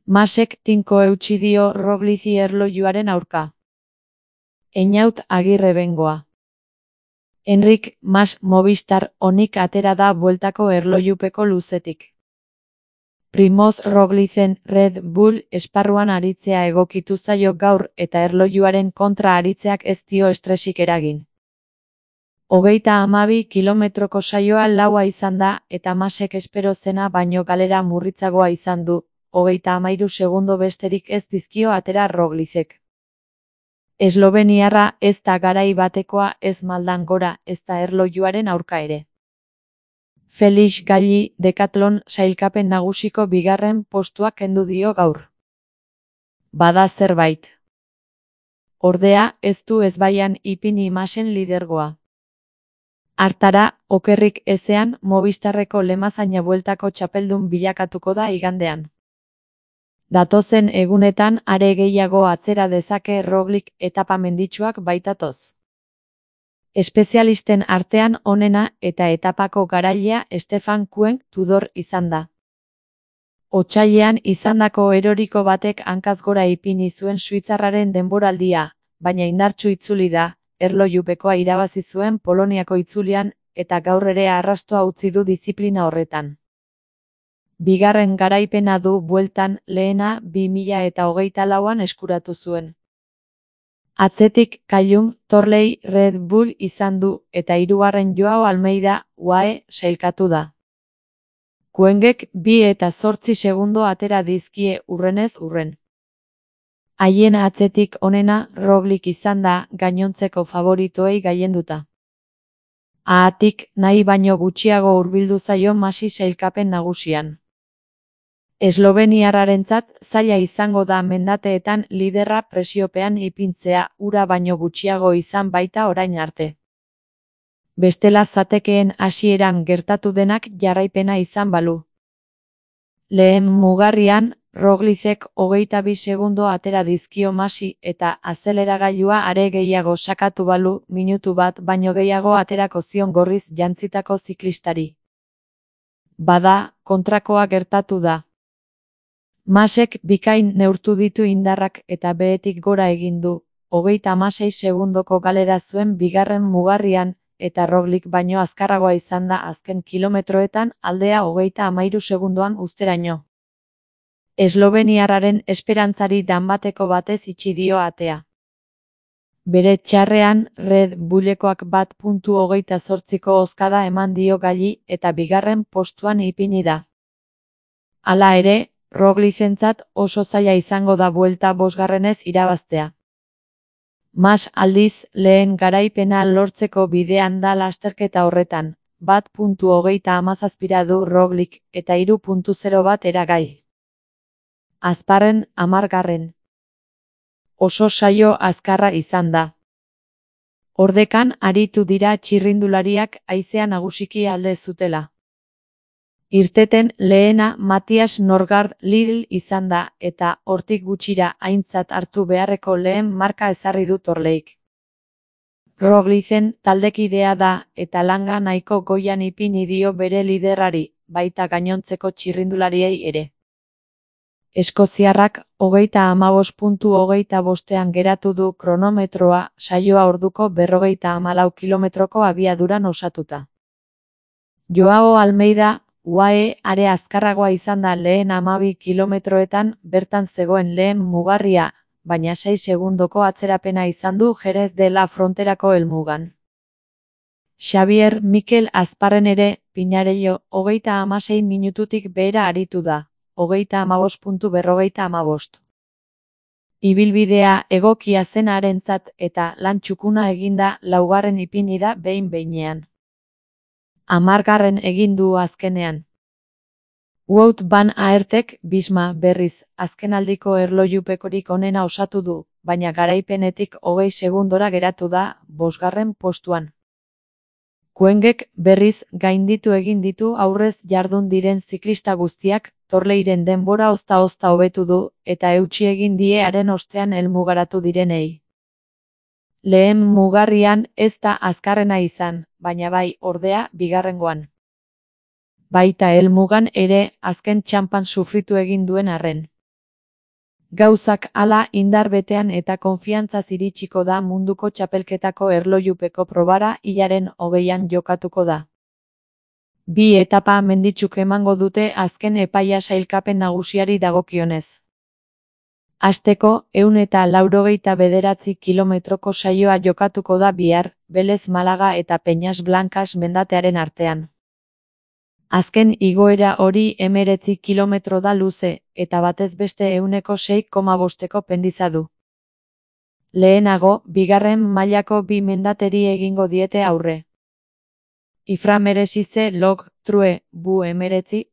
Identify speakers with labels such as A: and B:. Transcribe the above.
A: Masek tinko eutsi dio Roglici erlojuaren aurka. Einaut Agirre bengoa. Enric Mas Movistar onik atera da bueltako erlojupeko luzetik. Primoz Roglicen Red Bull esparruan aritzea egokitu zaio gaur eta erlojuaren kontra aritzeak ez dio estresik eragin. 32 kilometroko saioa laua izan da eta Masek espero zena baino galera murritzagoa izan du, 33 segundo besterik ez dizkio atera Roglicek. Esloveniarra ez da garai batekoa ez maldan gora ez da erlojuaren aurka ere. Felix Galli Decathlon sailkapen nagusiko bigarren postuak kendu dio gaur. Bada zerbait. Ordea, ez du ezbaian ipini Masen lidergoa. Hartara, okerrik ezean Movistarreko Lemazaina bueltako txapeldun bilakatuko da igandean. Datozen egunetan are gehiago atzera dezake Roglic etapa menditsuak baitatoz. Espezialisten artean onena eta etapako garailea Stefan Koenig Tudor izan da. Otsailean izandako eroriko batek hankaz gora ipini zuen suitzarraren denboraldia, baina indartsu itzuli da, erlojupekoa irabazi zuen Poloniako itzulian eta gaur ere arrastoa utzi du diziplina horretan. Bigarren garaipena du bueltan, lehena 2024an eskuratu zuen. Atzetik Callum Torley Red Bull izan du eta hirugarren Joao Almeida UAE sailkatu da. Koenigek 2 eta 8 segundo atera dizkie urrenez urren. Haien atzetik onena Roglic izan da gainontzeko favoritoei gailenduta. Haatik nahi baino gutxiago hurbildu zaio Masi sailkapen nagusian. Esloveniarrarentzat zaila izango da mendateetan liderra presiopean ipintzea ura baino gutxiago izan baita orain arte. Bestela zatekeen hasieran gertatu denak jarraipena izan balu. Lehen mugarrian, Roglicek 22 segundo atera dizkio Masi eta azeleragailua are gehiago sakatu balu minutu bat baino gehiago aterako zion gorriz jantzitako ziklistari. Bada, kontrakoa gertatu da. Masek bikain neurtu ditu indarrak eta behetik gora egin du, 36 segundoko galera zuen bigarren mugarrian, eta Roglic baino azkarragoa izan da azken kilometroetan aldea 33 segundoan uzteraino. Esloveniarraren esperantzari danbateko batez itxi dio atea. Bere txarrean, Red Bullekoak 1.28ko hozkada eman dio Galli eta bigarren postuan ipini da. Hala ere, Roglicentzat oso zaila izango da buelta bosgarrenez irabaztea. Mas aldiz, lehen garaipena lortzeko bidean da lasterketa horretan, 1.37 du Roglic eta 3.0 bat eragai. Azparren 10. Oso saio azkarra izan da. Ordekan aritu dira txirrindulariak haizea nagusiki alde zutela. Irteten lehena Matthias Norgaard Lidl izan da eta hortik gutxira aintzat hartu beharreko lehen marka ezarri du Torleik. Roglicen taldekidea da eta langa nahiko goian ipini dio bere liderrari, baita gainontzeko txirrindulariei ere. Eskoziarrak 35.25ean geratu du kronometroa saioa orduko 54 kilometroko abiaduran osatuta. Joao Almeida UAE are azkarragoa izan da lehen 12 kilometroetan bertan zegoen lehen mugarria, baina 6 segundoko atzerapena izan du Jerez de la Fronterako helmugan. Xavier Mikel Azparren ere, Pinarello, 36 minututik behera aritu da, 35.55. Ibilbidea egokia zen harentzat eta lan txukuna eginda laugarren ipini da behin-behinean. 10. egin du azkenean. Wout van Aertek Bisma berriz azkenaldiko erlojupekorik onena osatu du, baina garaipenetik 20 segundora geratu da 5. postuan. Koenigek berriz gainditu egin ditu aurrez jardun diren ziklista guztiak, Torleiren denbora ozta-ozta hobetu du eta eutsi egin die haren ostean helmugaratu direnei. Lehen mugarrian ez da azkarrena izan, baina bai, ordea, bigarrengoan. Baita helmugan ere azken txanpan sufritu egin duen arren. Gauzak hala indar betean eta konfiantzaz iritsiko da munduko txapelketako erlojupeko probara hilaren 20an jokatuko da. Bi etapa menditsuk emango dute azken epaia sailkapen nagusiari dagokionez. Hasteko, 189 kilometroko saioa jokatuko da bihar, Belez Malaga eta Peñas Blancas mendatearen artean. Azken igoera hori 19 kilometro da luze, eta batez beste 6,5ko pendiza du. Lehenago, bigarren mailako bi mendateri egingo diete aurre. Ifra Meresize Log, True, Bu 19,